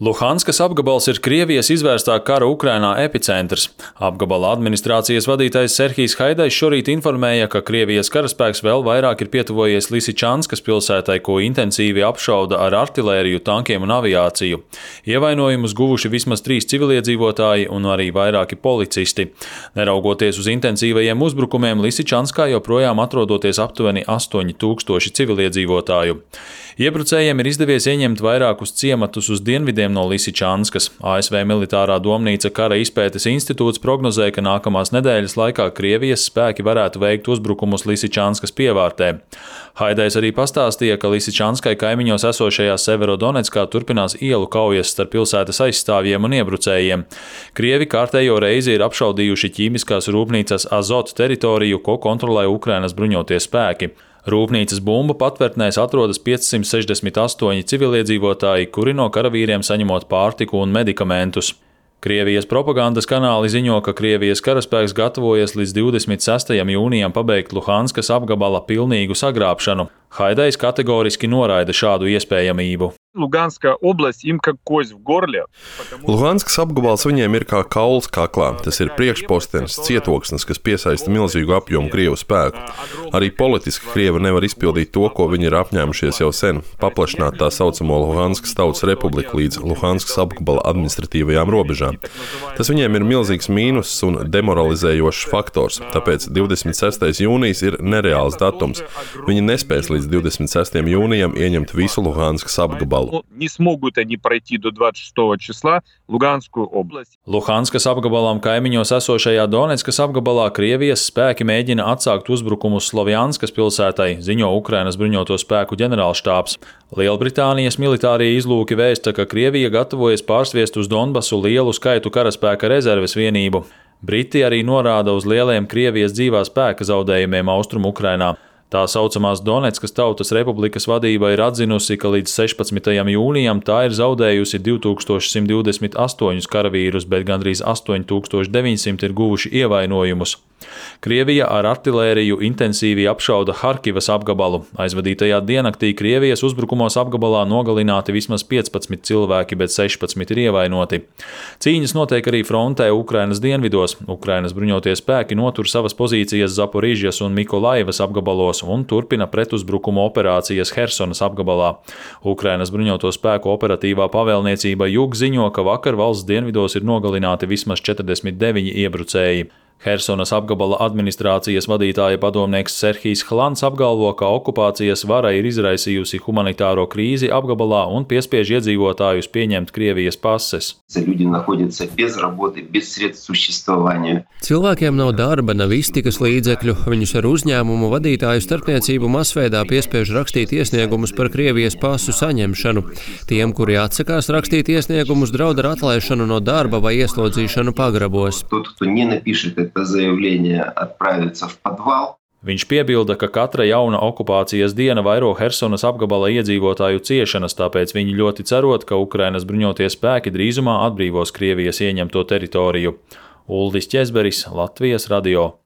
Luhanskas apgabals ir Krievijas izvērstā kara Ukrainā epicentrs. Apgabala administrācijas vadītājs Serhijs Haidajs šorīt informēja, ka Krievijas karaspēks vēl vairāk ir pietuvojies Lisičanskas pilsētai, ko intensīvi apšauda ar artilēriju, tankiem un aviāciju. Ievainojumus guvuši vismaz 3 civiliedzīvotāji un arī vairāki policisti. Neraugoties uz intensīvajiem uzbrukumiem, Lisičanskā joprojām atrodoties aptuveni 8000 civiliedzīvotāju. Iebrucējiem ir izdevies ieņemt vairākus ciematus uz dienvidiem no Lisičanskas. ASV militārā domnīca Kara izpētes institūts prognozē, ka nākamās nedēļas laikā Krievijas spēki varētu veikt uzbrukumus Lisičanskas pievārtē. Haidajs arī pastāstīja, ka Lisičanskai kaimiņos esošajā Severodonetskā turpinās ielu kaujas starp pilsētas aizstāvjiem un iebrucējiem. Krievi kārtējo reizi ir apšaudījuši ķīmiskās rūpnīcas Azot teritoriju, ko kontrolē Ukrainas bruņotie spēki. Rūpnīcas bumbu patvērtnēs atrodas 568 civiliedzīvotāji, kuri no karavīriem saņemot pārtiku un medikamentus. Krievijas propagandas kanāli ziņo, ka Krievijas karaspēks gatavojas līdz 26. jūnijam pabeigt Luhanskas apgabala pilnīgu sagrābšanu. Haidajs kategoriski noraida šādu iespējamību. Luganska область им как кость в горле. Luhanskas apgabals viņiem ir kā kauls kaklā. Tas ir priekšpostenis, cietoksnis, kas piesaista milzīgu apjomu Krievu spēku. Arī politiski Krievi nevar izpildīt to, ko viņi ir apņēmušies jau sen - paplašināt tā saucamo Luhanskas tautas republiku līdz Luhanskas apgabala administratīvajām robežām. Tas viņiem ir milzīgs mīnus un demoralizējošs faktors, tāpēc 26. jūnijas ir nereāls datums. Viņi nespēs līdz 26. jūnijam ieņemt visu Luhanskas apgabalu. Не смогут они пройти до 26 числа Luganskую область. Luhanskas apgabalam kaimiņos esošajā Donetskas apgabalā Krievijas spēki mēģina atsākt uzbrukumus Slovjanskas pilsētai, ziņo Ukrainas bruņoto spēku ģenerālštābs. Lielbritānijas militārie izlūki vēsta, ka Krievija gatavojas pārsviest uz Donbasu lielu skaitu karaspēka rezerves vienību. Briti arī norāda uz lieliem Krievijas dzīvā spēka zaudējumiem Austrumu Ukrainā. Tā saucamās Donetskas Tautas Republikas vadība ir atzinusi, ka līdz 16. jūnijam tā ir zaudējusi 2128 karavīrus, bet gandrīz 8900 ir guvuši ievainojumus. Krievija ar artilēriju intensīvi apšauda Harkivas apgabalu. Aizvadītajā diennaktī Krievijas uzbrukumos apgabalā nogalināti vismaz 15 cilvēki, bet 16 ir ievainoti. Cīņas notiek arī frontē Ukrainas dienvidos. Ukrainas bruņotie spēki notur savas pozīcijas Zaporižjas un Mikolaivas apgabalos un turpina pretuzbrukumu operācijas Hersonas apgabalā. Ukrainas bruņoto spēku operatīvā pavēlniecība Jug ziņo, ka vakar valsts dienvidos ir nogalināti vismaz 49 iebrucēji. Hersonas apgabala administrācijas vadītāja padomnieks Serhijs Hlans apgalvo, ka okupācijas vara ir izraisījusi humanitāro krīzi apgabalā un piespiež iedzīvotājus pieņemt Krievijas pases. Cilvēkiem nav darba, nav iztikas līdzekļu, viņus ar uzņēmumu vadītāju starpniecību masveidā piespiež rakstīt iesniegumus par Krievijas pasu saņemšanu. Tiem, kuri atsakās rakstīt iesniegumus, draud ar atlaišanu no darba vai ieslodzīšanu pagrabos. Viņš piebilda, ka katra jauna okupācijas diena vairo Hersonas apgabala iedzīvotāju ciešanas, tāpēc viņi ļoti cerot, ka Ukrainas bruņotie spēki drīzumā atbrīvos Krievijas ieņemto teritoriju. Uldis Ķezberis, Latvijas radio.